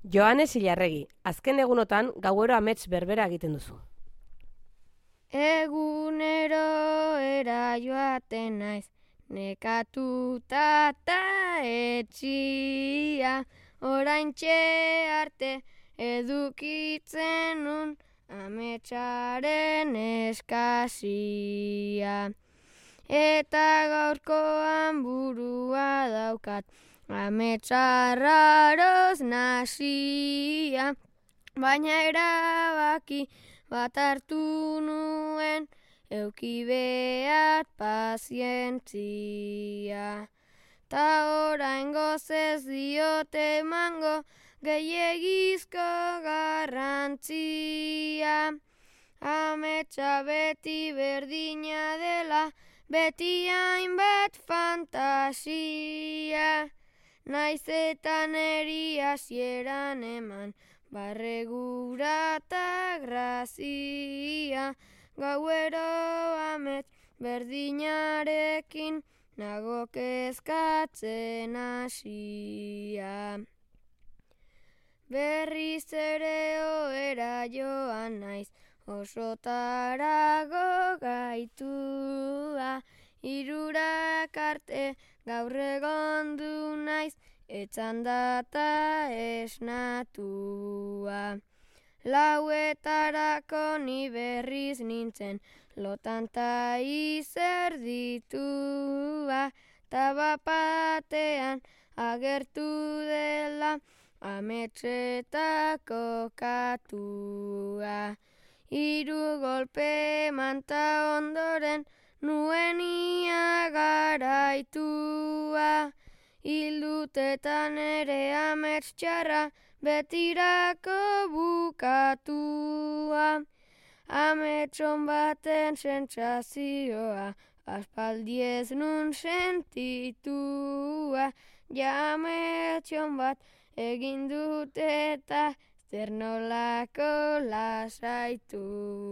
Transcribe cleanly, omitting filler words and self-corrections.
Joanes Ilarregi, azken egunotan gauero amets berbera egiten duzu. Egunero era joaten naiz, nekatuta ta etxia, oraintxe arte edukitzen nun ametsaren eskasia. Eta gaurkoan burua daukat, ametsarraroz nasia, baina erabaki bat hartu nuen, euki behat pazientzia. Ta oraingoz ez diote emango gehiegizko garrantzia. Ametsa beti berdina dela, beti hainbat fantasia. Naiz eta neri hasieran eman, barregura ta grazia. Gauero amets berdinarekin, nago kezkatzen hasia. Berriz ere ohera joan naiz, osotarago gaitua. Hirurak arte gaur egondu naiz, etzandata esnatua. Lauetarako ni berriz nintzen, lotanta izerditua. Ta bapatean agertu dela, ametsetako katua. Hiru golpe manta ondoren, nuenia garaitua. Hildutetan ere amets txarra, betirako bukatua. Ametson baten sentsazioa, aspaldi ez nun sentitua. Ja ametson bat egin dut eta zer nolako lasaitua.